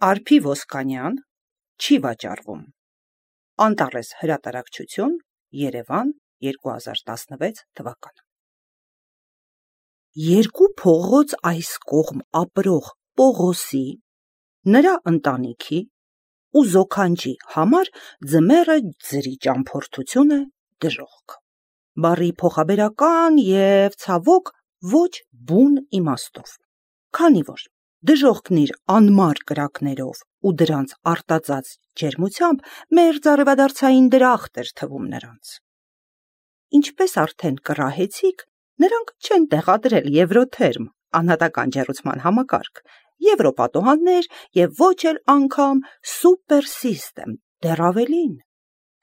Արփի Ոսկանյան, չի վաճառվում։ Անտարես հրատարակչություն, Երևան, 2016 թվական։ Երկու փողոց այս կողմ ապրող Պողոսի, նրա ընտանիքի ու զոքանչի համար ձմեռը ձրի ճամփորդություն է դժոխք։ Բառի փոխաբերական և ցավոք ոչ բուն իմաստով, քանի որ դժոխքն իր անմար կրակներով ու դրանց արտածած ջերմությամբ մերձարևադարձային դրախտ էր թվում նրանց։ Ինչպես արդեն կռահեցիք, նրանք չեն տեղադրել եվրոթերմ անհատական ջեռուցման համակարգ, եվրոպատոհաններ և ոչ էլ անգամ սուպեր սիստեմ, դեռ ավելին։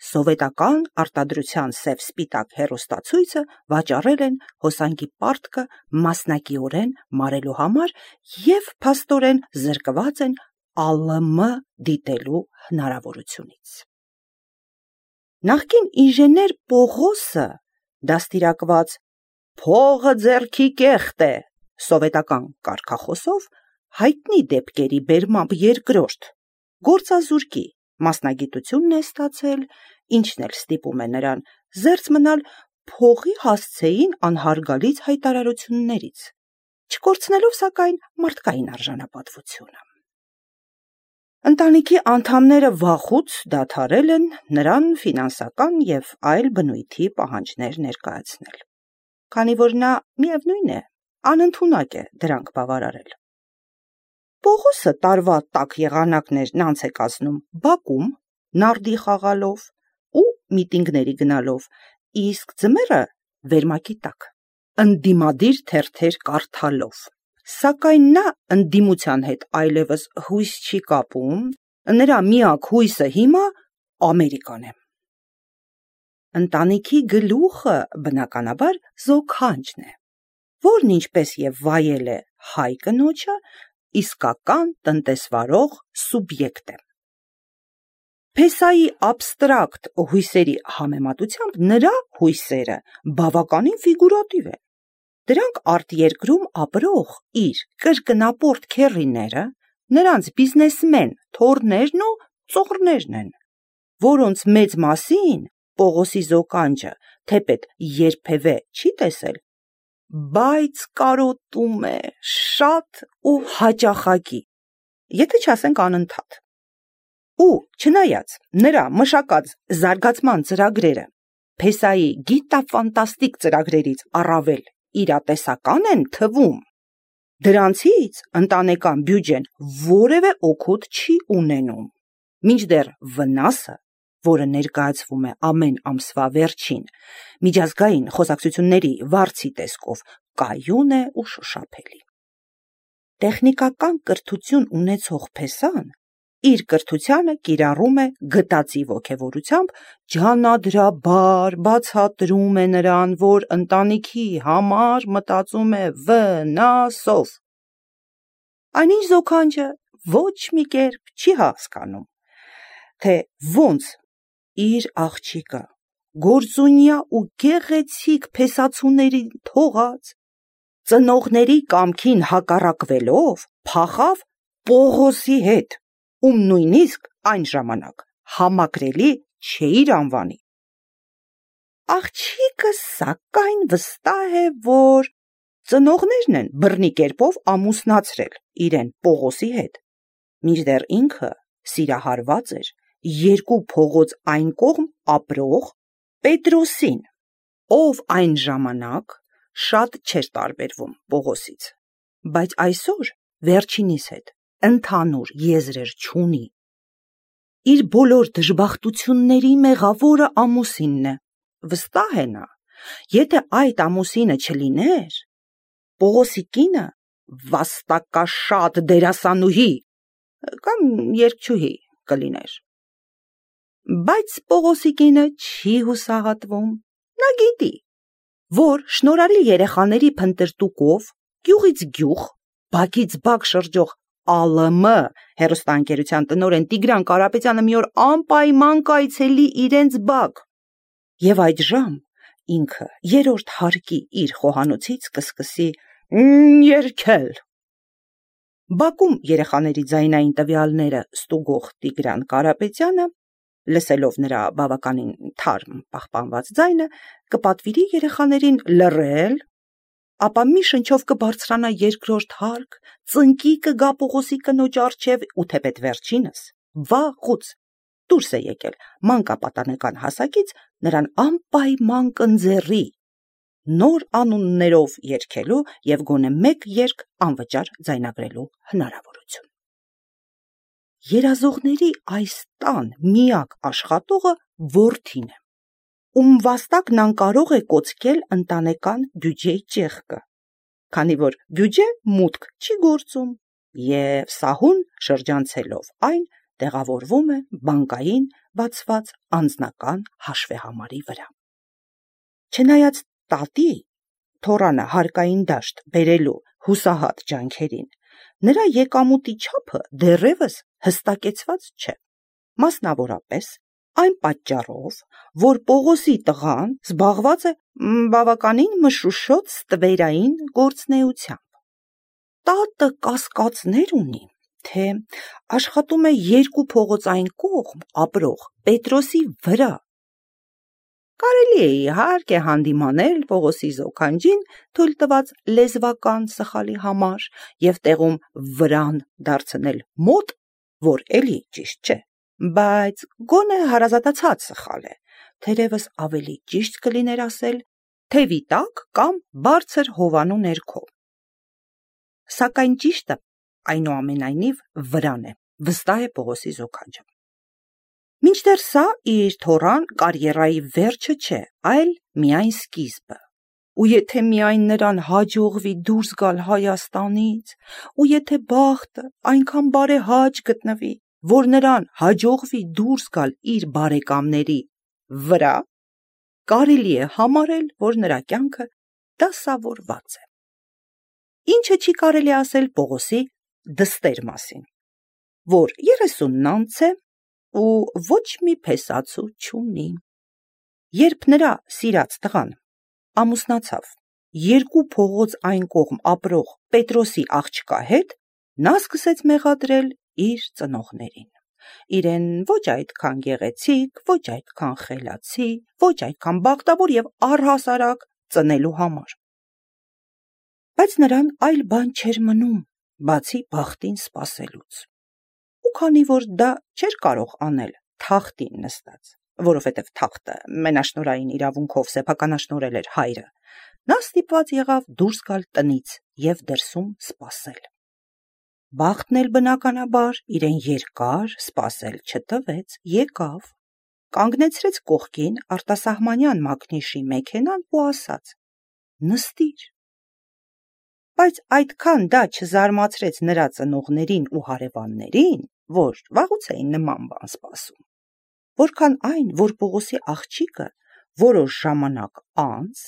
Սովետական արտադրության սև-սպիտակ հեռուստացույցը վաճառել են հոսանքի պարտքը մասնակիորեն մարելու համար և փաստորեն զրկված են ԱԼՄ դիտելու հնարավորությունից։ Նախկին ինժեներ Պողոսը դաստիարակված «փողը ձեռքի կեղտ է» սովետական կարգախոսով հայտնի դեպքերի բերմամբ երկրորդ գործազուրկի մասնագիտությունն է ստացել, ինչն էլ ստիպում է նրան զերծ մնալ փողի հասցեին անհարգալից հայտարարություններից, չկորցնելով սակայն մարդկային արժանապատվությունը։ Ընտանիքի անդամները վաղուց դադարել են նրան ֆինանսական և այլ բնույթի պահանջներ ներկայացնել, քանի որ նա միևնույն է, անընդունակ է դրանք բավարարել։ Պողոսը տարվա տաք եղանակներն անց է կացնում բակում, նարդի խաղալով ու միտինգների գնալով, իսկ ձմեռը վերմակի տակ, ընդդիմադիր թերթեր կարդալով։ Սակայն նա ընդդիմության հետ այլևս հույս չի կապում, նրա միակ հույսը հիմա Ամերիկան է։ Ընտանիքի գլուխը բնականաբար զոքանչն է, որն ինչպես և վայել է հայ կնոջը, իսկական տնտեսվարող սուբյեկտ է։ Փեսայի աբստրակտ հույսերի համեմատությամբ նրա հույսերը բավականին ֆիգուրատիվ են։ Դրանք արտերկրում ապրող իր կրկնապորտ քեռիները, նրանց բիզնեսմեն թոռներն ու ծոռներն են, որոնց մեծ մասին Պողոսի զոքանչը թեպետ երբևէ չի տեսել, բայց կարոտում է շատ ու հաճախակի, եթե չասենք անընդհատ։ Ու չնայած նրա մշակած զարգացման ծրագրերը Փեսայի գիտաֆանտաստիկ ծրագրերից առավել իրատեսական են թվում, դրանցից ընտանեկան բյուջեն որևէ օգուտ չի ունենում, մինչդեռ վնասը, որը ներկայացվում է ամեն ամսվա վերջին միջազգային խոսակցությունների վարձի տեսքով, կայուն է ու շոշափելի։ Տեխնիկական կրթություն ունեցող Փեսան իր կրթությանը կիրառում է գտածի ոգևորությամբ, ջանադրաբար բացատրում է նրան, որ ընտանիքի համար մտածում է վնասով։ Այնինչ զոքանչը ոչ մի կերպ չի հասկանում, թե ոնց իր աղջիկը գործունյա ու գեղեցիկ փեսացուներին թողած, ծնողների կամքին հակառակվելով փախավ Պողոսի հետ, ում նույնիսկ այն ժամանակ համակրելի չէիր անվանի։ Աղջիկը սակայն վստահ է, որ ծնողներն են բռնի կերպով ամուսնացրել իրեն Պողոսի հետ, մինչդեռ ինքը սիրահարված էր երկու փողոց այն կողմ ապրող Պետրոսին, ով այն ժամանակ շատ չէր տարբերվում Պողոսից, բայց այսօր վերջինիս հետ ընդհանուր եզրեր չունի։ Իր բոլոր դժբախտությունների մեղավորը ամուսինն է, վստահ է նա, եթե այդ ամուսինը չլիներ, Պողոսի կինը վաստակաշատ դերասանուհի կամ երգչուհի կլիներ։ Բայց Պողոսի կինը չի հուսահատվում, նա գիտի, որ շնորհալի երեխաների փնտրտուքով գյուղից գյուղ, բակից բակ շրջող ԱԼՄ հեռուստաընկերության տնօրեն Տիգրան Կարապետյանը մի օր անպայման կայցելի իրենց բակ, և այդժամ ինքը երրորդ հարկի իր խոհանոցից կսկսի երգել։ Բակում երեխաների ձայնային տվյալները ստուգող Տիգրան Կարապետյանը, լսելով նրա բավականին թարմ պահպանված ձայնը, կպատվիրի երեխաներին լռել, ապա մի շնչով կբարձրանա երկրորդ հարկ, ծնկի կգա Պողոսի կնոջ առջև ու թեպետ վերջինս, վաղուց դուրս է եկել մանկապատանեկան հասակից, նրան անպայման կընձեռի նոր անուններով երգելու և գոնե մեկ երգ անվճար ձայնագրելու հնարավորություն։ Երազողների այս տան միակ աշխատողը որդին է, ում վաստակն անկարող է կոչել ընտանեկան բյուջեի ճեղքը, քանի որ բյուջե մուտք չի գործում և սահուն շրջանցելով այն տեղավորվում է բանկային բացված անձնական հաշվեհամարի վրա։ Չնայած տատի թոռանը հարկային դաշտ բերելու հուսահատ ջանքերին, նրա եկամուտի չափը դեռևս հստակեցված չէ, մասնավորապես այն պատճառով, որ Պողոսի տղան զբաղված է բավականին մշուշոտ ստվերային գործունեությամբ։ Տատը կասկածներ ունի, թե աշխատում է երկու փողոց այն կողմ ապրող Պետրոսի վրա։ Կարելի է իհարկե հանդիմանել Պողոսի զոքանչին թույլ տված լեզվական սխալի համար և տեղում վրան դարձնել մոտ, որ էլի ճիշտ չէ, բայց գոնե հարազատացած սխալ է, թերևս ավելի ճիշտ կլիներ ասել թևի տակ կամ բարձր հովանու ներքո։ Սակայն ճիշտը այնուամենայնիվ վրան է, վստահ է Պողոսի զոքանչը։ Մինչդեռ սա իր թոռան կարիերայի վերջը չէ, այլ միայն սկիզբը, ու եթե միայն նրան հաջողվի դուրս գալ Հայաստանից, ու եթե բախտը այնքան բարեհաճ գտնվի, որ նրան հաջողվի դուրս գալ իր բարեկամների վրա, կարելի է համարել, որ նրա կյանքը դասավորված է։ Ինչը չի կարելի ասել Պողոսի դստեր մասին, որ 30-ն անց է ու ոչ մի փեսացու չունի։ Երբ նրա սիրած տղան ամուսնացավ երկու փողոց այն կողմ ապրող Պետրոսի աղջկա հետ, նա սկսեց մեղադրել իր ծնողներին, իրեն ոչ այդքան գեղեցիկ, ոչ այդքան խելացի, ոչ այդքան բախտավոր և առհասարակ ծնելու համար։ Բայց նրան այլ բան չէր մնում, բացի բախտին սպասելուց։ Ու քանի որ դա չէր կարող անել թախտին նստած, որովհետև թախտը մենաշնորհային իրավունքով սեփականաշնորհել էր հայրը, նա ստիպված եղավ դուրս գալ տնից և դրսում սպասել։ Բախտն էլ բնականաբար իրեն երկար սպասել չտվեց, եկավ, կանգնեցրեց կողքին արտասահմանյան մակնիշի մեքենան ու ասաց. նստիր։ Բայց այդքան դա չզարմացրեց նրա ծնողներին ու հարևաններին, որ վաղուց էին նման բան սպասում, որքան այն, որ Պողոսի աղջիկը որոշ ժամանակ անց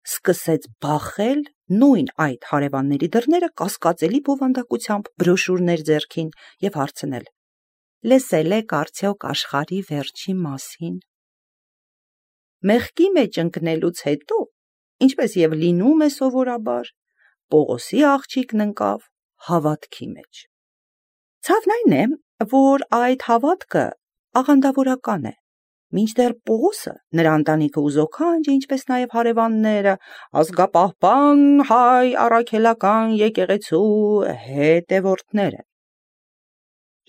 սկսեց բախել նույն այդ հարևանների դռները կասկածելի բովանդակությամբ բրոշուրներ ձեռքին և հարցնել. լսել եք արդյոք աշխարհի վերջի մասին։ Մեղքի մեջ ընկնելուց հետո, ինչպես և լինում է սովորաբար, Պողոսի աղջիկն ընկավ հավատքի մեջ։ Ցավն այն է, որ այդ հավատքը աղանդավորական է, մինչդեռ Պողոսը, նրա ընտանիքը ու զոքանչը, ինչպես նաև հարևանները, ազգապահպան հայ առաքելական եկեղեցու հետևորդներ են։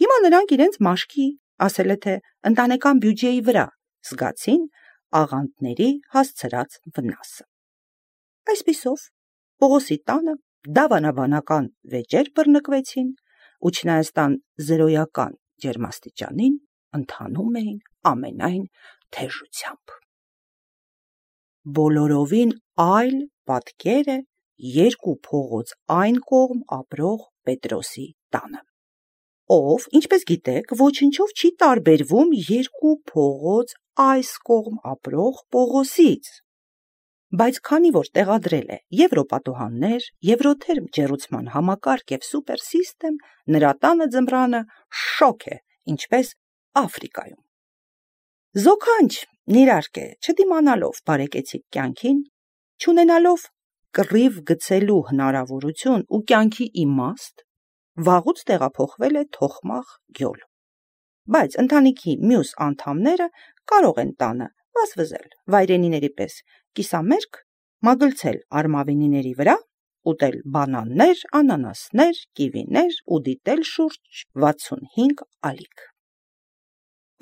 Հիմա նրանք իրենց մաշկի, ասել է թե ընտանեկան բյուջեի վրա զգացին աղանդների հասցրած վնասը։ Այսպիսով, Պողոսի տանը դավանաբանական վեճեր բռնկվեցին ու չնայած տան զրոյական ջերմաստիճանին ընթանում էին ամենայն թեժությամբ։ Բոլորովին այլ պատկեր է երկու փողոց այն կողմ ապրող Պետրոսի տանը, ով, ինչպես գիտեք, ոչնչով չի տարբերվում երկու փողոց այս կողմ ապրող Պողոսից, բայց քանի որ տեղադրել է եվրոպատոհաններ, եվրոթերմ ջեռուցման համակարգ և սուպերսիստեմ, նրա տանը ձմռանը շոգ է, ինչպես Աֆրիկայում։ Զոքանչն իհարկե չդիմանալով բարեկեցիկ կյանքին, չունենալով կռիվ գցելու հնարավորություն ու կյանքի իմաստ, վաղուց տեղափոխվել է թոխմաղ գյոլ։ Բայց ընտանիքի մյուս անդամները կարող են տանը վազվզել վայրենիների պես, կիսամերկ մագլցել արմավենիների վրա, ուտել բանաններ, անանասներ, կիվիներ ու դիտել շուրջ 65 ալիք։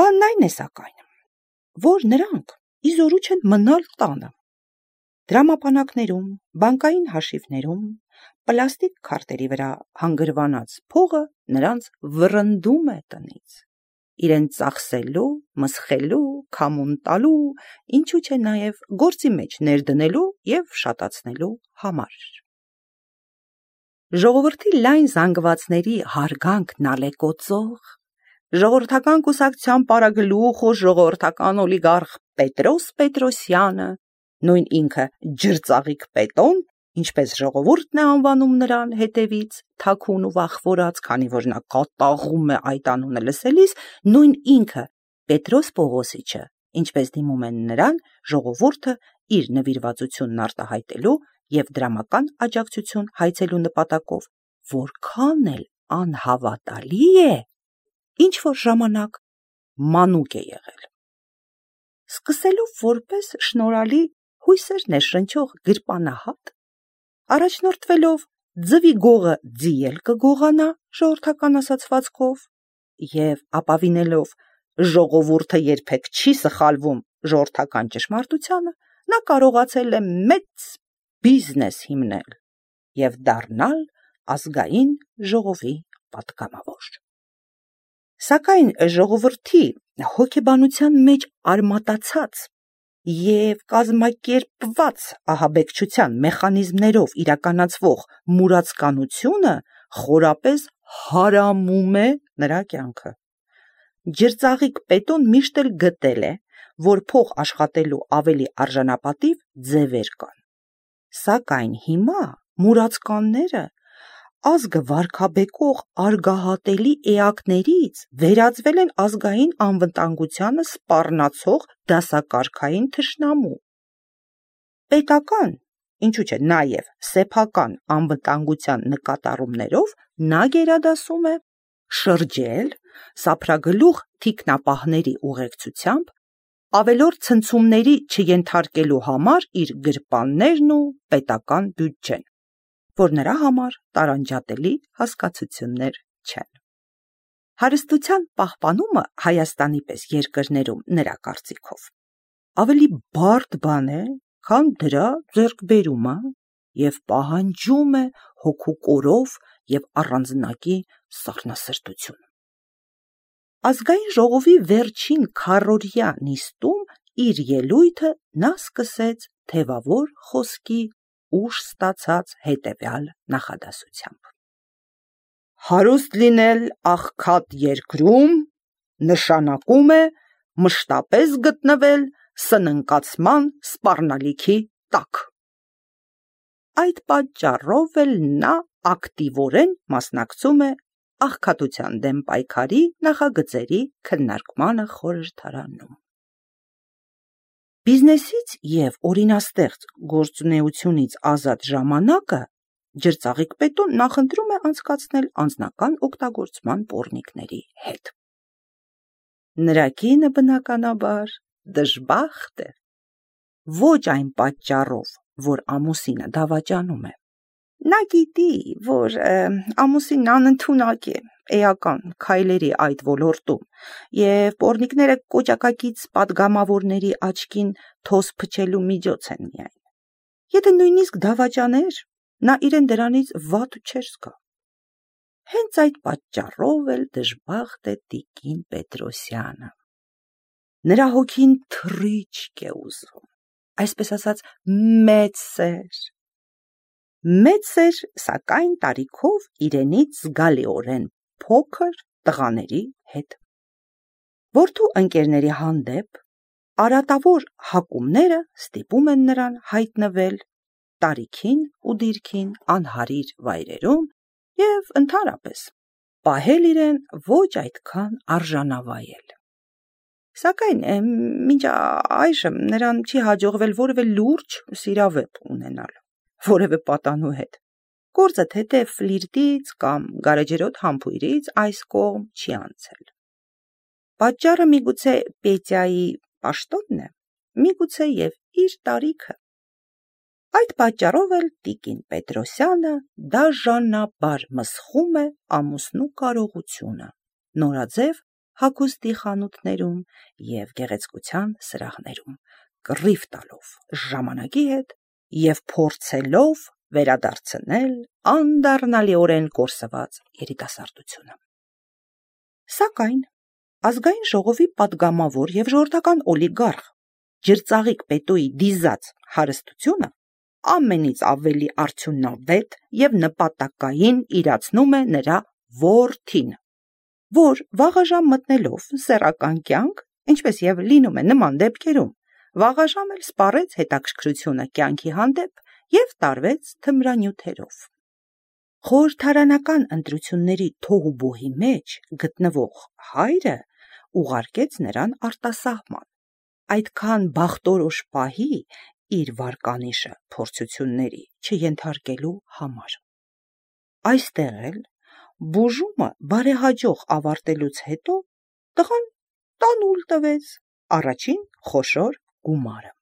Բանն այն է սակայն, որ նրանք իզորու չեն մնալ տանը։ Դրամապանակներում, բանկային հաշիվներում, պլաստիկ քարտերի վրա հանգրվանած փողը նրանց վռնդում է տնից, իրեն ծախսելու, մսխելու, քամուն տալու, ինչու չէ նաև գործի մեջ ներդնելու և շատացնելու համար։ Ժողովրդի լայն զանգվածների հարգանքն ալեկոծող, ժողովրդական կուսակցության պարագլուխ ու ժողովրդական օլիգարխ Պետրոս Պետրոսյանը, նույն ինքը ջրծաղիկ Պետոն, ինչպես ժողովուրդն է անվանում նրան հետևից, թաքուն ու վախվորած, քանի որ նա կատաղում է այդ անունը լսելիս, նույն ինքը Պետրոս Պողոսիչը, ինչպես դիմում են նրան ժողովուրդը իր նվիրվածությունն արտահայտելու և դրամական աջակցություն հայցելու նպատակով, որքան էլ անհավատալի է, ինչ-որ ժամանակ մանուկ է եղել։ Սկսելով որպես շնորհալի հույսեր ներշնչող գրպանահատ, առաջնորդվելով ձվի գողը ձիել կգողանա ժողովրդական ասացվածքով և ապավինելով ժողովուրդը երբեք չի սխալվում ժողովրդական ճշմարտությանը, նա կարողացել է մեծ բիզնես հիմնել և դառնալ ազգային ժողովի պատգամավոր։ Սակայն ժողովրդի հոգեբանության մեջ արմատացած և կազմակերպված ահաբեկչության մեխանիզմներով իրականացվող մուրացկանությունը խորապես հարամում է նրա կյանքը։ Ջրծաղիկ Պետոն միշտ էլ գտել է, որ փող աշխատելու ավելի արժանապատիվ ձևեր կան։ Սակայն հիմա մուրացկանները ազգը վարգաբեկող արգահատելի էակներից վերածվել են ազգային անվտանգությանը սպառնացող դասակարգային թշնամու։ Պետական, ինչու չէ նաև սեփական անվտանգության նկատառումներով նա գերադասում է շրջել սափրագլուխ թիկնապահների ուղեկցությամբ ավելորդ ցնցումների չենթարկելու համար իր գրպաններն ու պետական բյուջեն, որ նրա համար տարանջատելի հասկացություններ չեն։ Հարստության պահպանումը Հայաստանի պես երկրներում նրա կարծիքով ավելի բարդ բան է, քան դրա ձեռքբերումը և պահանջում է հոգու կորով և առանձնակի սառնասրտություն։ Ազգային ժողովի վերջին քառօրյա նիստում իր ելույթը նա սկսեց թևավոր խոսքի ուժ ստացած հետևյալ նախադասությամբ. Հարուստ լինել աղքատ երկրում նշանակում է մշտապես գտնվել սննկացման սպառնալիքի տակ։ Այդ պատճառով էլ նա ակտիվորեն մասնակցում է աղքատության դեմ պայքարի նախագծերի քննարկմանը խորհրդարանում։ Բիզնեսից և օրինաստեղծ գործունեությունից ազատ ժամանակը ջրծաղիկ Պետոն նախընտրում է անցկացնել անձնական օգտագործման պոռնիկների հետ։ Նրա կինը բնականաբար դժբախտ է, ոչ այն պատճառով, որ ամուսինը դավաճանում է։ Նա գիտի, որ ամուսինն անընդունակ է էական քայլերի այդ ոլորտում և պոռնիկները կոճակակից պատգամավորների աչքին թոս փչելու միջոց են միայն։ Եթե նույնիսկ դավաճաներ, նա իրեն դրանից վատ չէր զգա։ Հենց այդ պատճառով էլ դժբախտ է տիկին Պետրոսյանը։ Նրա հոգին թռիչք է ուզում, այսպես ասած մեծ սեր։ Մեծ սեր, սակայն տարիքով իրենից զգալիորեն փոքր տղաների հետ։ Որդու ընկերների հանդեպ արատավոր հակումները ստիպում են նրան հայտնվել տարիքին ու դիրքին անհարիր վայրերում և ընդհանրապես պահել իրեն ոչ այդքան արժանավայել։ Սակայն մինչ այժմ նրան չի հաջողվել որևէ լուրջ սիրավեպ ունենալ որևէ պատանու հետ, Գործը թեթև ֆլիրտից կամ գարեջրոտ համբույրից այս կողմ չի անցել։ Պատճառը միգուցե Պետյայի պաշտոնն է, միգուցե և իր տարիքը։ Այդ պատճառով էլ տիկին Պետրոսյանը դաժանաբար մսխում է ամուսնու կարողությունը, նորաձև հագուստի խանութներում և գեղեցկության սրահներում, կռիվ տալով ժամանակի հետ և փորձելով վերադարձնել անդառնալիորեն կորսված երիտասարդությունը։ Սակայն ազգային ժողովի պատգամավոր և ժողովրդական օլիգարխ Ջրծաղիկ Պետոյի դիզած հարստությունը ամենից ավելի արդյունավետ և նպատակային իրացնում է նրա որդին, որ վաղաժամ մտնելով սեռական կյանք, ինչպես և լինում է նման դեպքերում, վաղաժամ էլ սպառեց հետաքրքրությունը կյանքի հանդեպ և տարվեց թմրանյութերով։ Խորհրդարանական ընտրությունների թոհուբոհի մեջ գտնվող հայրը ուղարկեց նրան արտասահման, այդքան բախտորոշ պահի իր վարկանիշը փորձությունների չենթարկելու համար։ Այստեղ էլ բուժումը բարեհաջող ավարտելուց հետո տղան տանուլ տվեց առաջին խոշոր գումարը։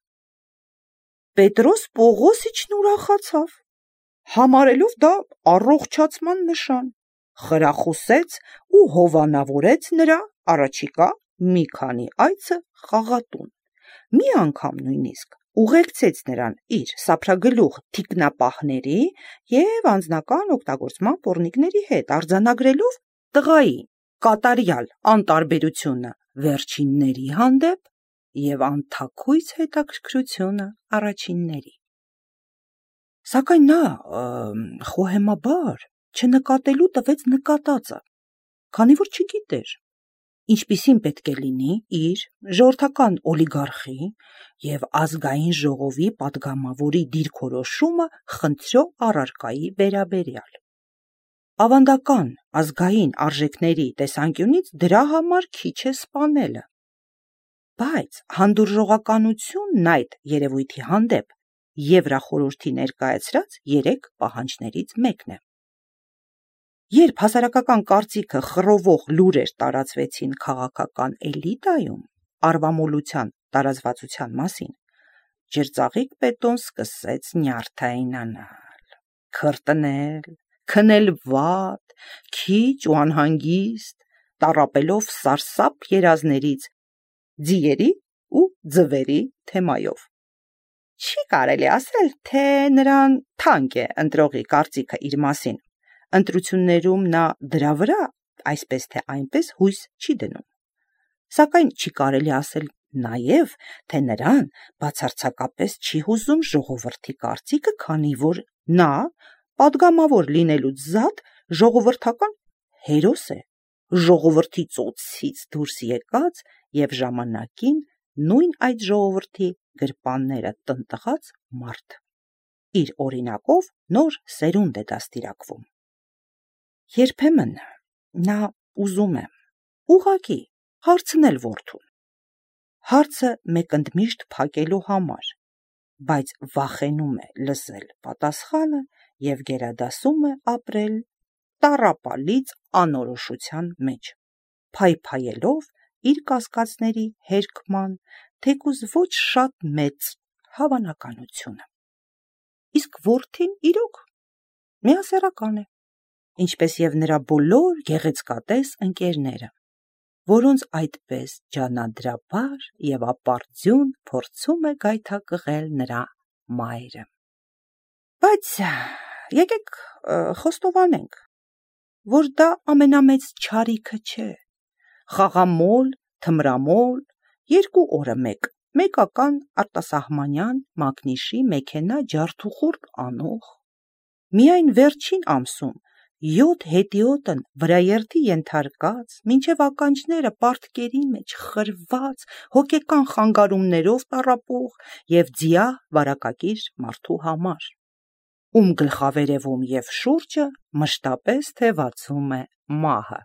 Պետրոս Պողոսիչն ուրախացավ, համարելով դա առողջացման նշան, խրախուսեց ու հովանավորեց նրա առաջիկա մի քանի այցը խաղատուն, մի անգամ նույնիսկ ուղեկցեց նրան իր սափրագլուխ թիկնապահների և անձնական օգտագործման պոռնիկների հետ, արձանագրելով տղայի կատարյալ անտարբերությունը վերջինների հանդեպ և անթաքույց հետաքրքրությունը առաջինների։ Սակայն նա խոհեմաբար չնկատելու տվեց նկատածը, քանի որ չգիտեր, ինչպիսին պետք է լինի իր ժողովրդական օլիգարխի և ազգային ժողովի պատգամավորի դիրքորոշումը խնդրո առարկայի վերաբերյալ։ Ավանդական ազգային արժեքների տեսանկյունից դրա համար քիչ է սպանելը, բայց հանդուրժողականությունն այդ երևույթի հանդեպ Եվրախորհրդի ներկայացրած 3 պահանջներից մեկն է։ Երբ հասարակական կարծիքը խռովող լուրեր տարածվեցին քաղաքական էլիտայում արվամոլության տարածվածության մասին, Ջրծաղիկ Պետոն սկսեց նյարդայնանալ, քրտնել, քնել վատ, քիչ ու անհանգիստ, տառապելով սարսափ երազներից ձիերի ու ձվերի թեմայով։ Չի կարելի ասել, թե նրան թանկ է ընտրողի կարծիքը իր մասին, ընտրություններում նա դրա վրա այսպես թե այնպես հույս չի դնում, սակայն չի կարելի ասել նաև, թե նրան բացարձակապես չի հուզում ժողովրդի կարծիքը, քանի որ նա պատգամավոր լինելուց զատ ժողովրդական հերոս է, ժողովրդի ծոցից դուրս եկած և ժամանակին նույն այդ ժողովրդի գրպանները տնտղած մարդ։ Իր օրինակով նոր սերունդ է դաստիարակվում։ Երբեմն նա ուզում է ուղղակի հարցնել որդուն, հարցը մեկընդմիշտ փակելու համար, բայց վախենում է լսել պատասխանը և գերադասում է ապրել տառապալից անորոշության մեջ, փայփայելով իր կասկածների հերքման թեկուզ ոչ շատ մեծ հավանականությունը։ Իսկ որդին իրոք միասեռական է, ինչպես և նրա բոլոր գեղեցկատես ընկերները, որոնց այդպես ջանադրաբար և ապարդյուն փորձում է գայթակղել նրա մայրը։ Բայց եկեք խոստովանենք, որ դա ամենամեծ չարիքը չէ, խաղամոլ, թմրամոլ, 2 օրը մեկական արտասահմանյան մակնիշի մեքենա ջարդուխորք անող, միայն վերջին ամսում 7 հետիոտն վրաերթի ենթարկած, մինչև ականջները պարտքերի մեջ խրված, հոգեկան խանգարումներով տառապող և ձիահ վարակակիր մարդու համար, ում գլխավերևում և շուրջը մշտապես թևածում է մահը։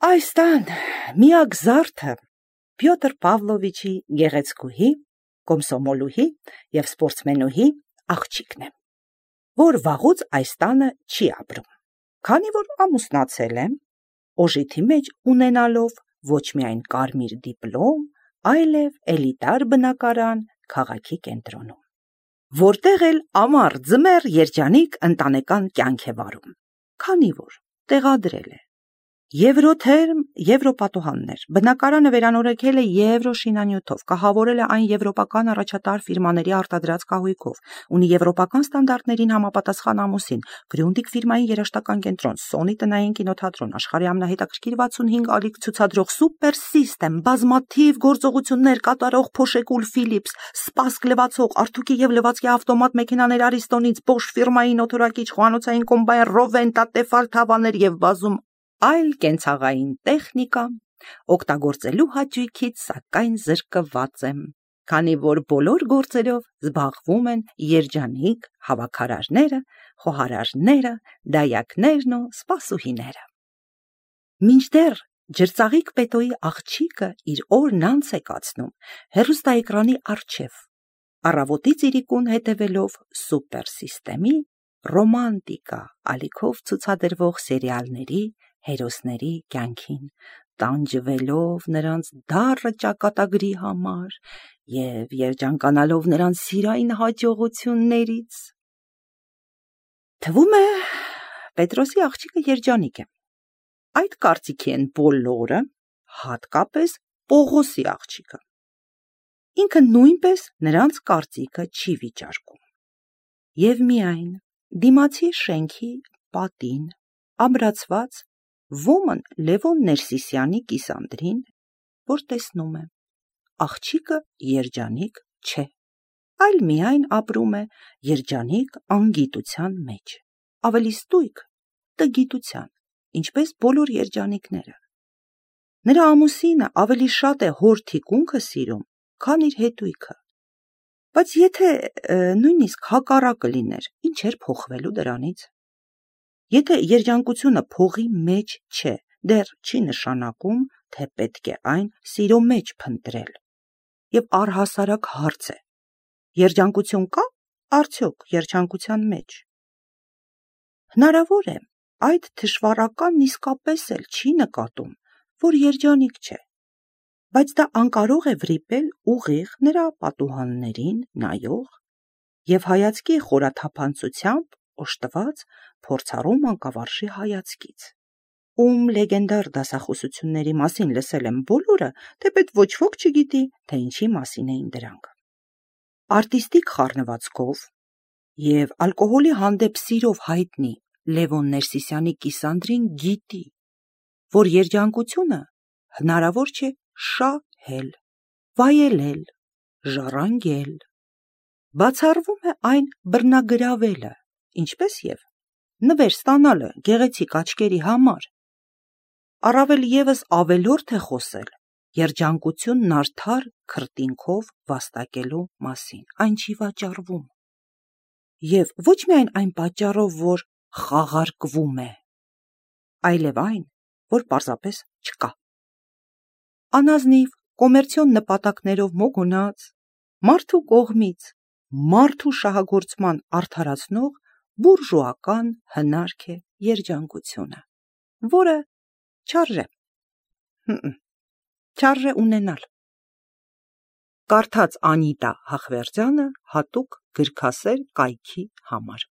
Այս տան միակ զարդը Պյոտր Պավլովիչի գեղեցկուհի, կոմսոմոլուհի և սպորտսմենուհի աղջիկն է։ որ վաղուց այս տանը չի ապրում, քանի որ ամուսնացել եմ, օժիթի մեջ ունենալով ոչ միայն կարմիր դիպլոմ, այլև էլիտար բնակարան քաղաքի կենտրոնում, որտեղ էլ ամառ ձմեռ երջանիկ ընտանեկան կյանք է վարում, քանի որ տեղադրել է եվրոթերմ եվրոպատուհաններ, բնակարանը վերանորոգել է եվրոշինանյութով, կահավորել է այն եվրոպական առաջատար ֆիրմաների արտադրած կահույքով, ունի եվրոպական ստանդարտներին համապատասխան ամուսին, գրյունդիկ ֆիրմայի երաժշտական կենտրոն, Սոնի տնային կինոթատրոն, աշխարհի ամենահետաքրքիր 65 ալիք ցուցադրող Սուպեր Սիստեմ, բազմաթիվ գործողություններ կատարող Փոշեկուլ Ֆիլիպս, Սպասք լվացող, Արթուկի եւ լվացքի ավտոմատ մեքենաներ Արիստոնից, Bosch ֆիրմայի նոթորակիչ, խոհանոցային կոմբայն, Ռովենտա, Տեֆալ թավաներ եւ բազում այլ կենցաղային տեխնիկա օգտագործելու հաճույքից սակայն զրկված եմ, քանի որ բոլոր գործերով զբաղվում են երջանիկ հավաքարարները, խոհարարները, դայակներն ու սպասուհիները։ Մինչդեռ ջրծաղիկ պետոյի աղջիկը իր օրն անց է կացնում հեռուստաէկրանի առջև, առավոտից իրիկուն հետևելով Սուպեր Սիստեմի ռոմանտիկա ալիքով ցուցադրվող սերիալների հերոսների կյանքին, տանջվելով նրանց դառը ճակատագրի համար և երջանկանալով նրանց սիրային հաջողություններից։ Թվում է, Պետրոսի աղջիկը երջանիկ է։ Այդ կարծիքի են բոլորը, հատկապես Պողոսի աղջիկը։ Ինքը նույնպես նրանց կարծիքը չի վիճարկում։ Եվ միայն դիմացի շենքի պատին ամրացված ոմն Լևոն Ներսիսյանի կիսանդրին, որ տեսնում է, աղջիկը երջանիկ չէ, այլ միայն ապրում է երջանիկ անգիտության մեջ, ավելի ստույգ տգիտության, ինչպես բոլոր երջանիկները։ Նրա ամուսինը ավելի շատ է հոր թիկունքը սիրում, քան իր հետույքը, բայց եթե նույնիսկ հակառակը լիներ, ինչ էր փոխվելու դրանից։ Եթե երջանկությունը փողի մեջ չէ, դեռ չի նշանակում, թե պետք է այն սիրո մեջ փնտրել։ Եվ առհասարակ հարց է. երջանկություն կա՞ արդյոք երջանկության մեջ։ Հնարավոր է, այդ թշվառականն իսկապես էլ չի նկատում, որ երջանիկ չէ, բայց դա անկարող է վրիպել ուղիղ նրա պատուհաններին նայող և հայացքի խորաթափանցությամբ օժտված փորձառու մանկավարժի հայացքից, ում լեգենդար դասախոսությունների մասին լսել են բոլորը, թեպետ ոչ ոք չգիտի, թե ինչի մասին էին դրանք։ Արտիստիկ խառնվածքով և ալկոհոլի հանդեպ սիրով հայտնի Լևոն Ներսիսյանի կիսանդրին գիտի, որ երջանկությունը հնարավոր չէ շահել, վայելել, ժառանգել, բացառվում է այն բռնագրավելը, ինչպես և նվեր ստանալը գեղեցիկ աչքերի համար։ Առավել ևս ավելորդ է խոսել երջանկությունն արդար քրտինքով վաստակելու մասին, այն չի վաճառվում։ Եվ ոչ միայն այն պատճառով, որ խաղարկվում է, այլև այն, որ պարզապես չկա։ Անազնիվ կոմերցիոն նպատակներով մոգունած, մարդու կողմից մարդու շահագործման արդարացնող բուրժուական հնարք է երջանկությունը, որը չարժե ունենալ։ Կարդաց Անիտա Հախվերդյանը հատուկ գրքասեր կայքի համար։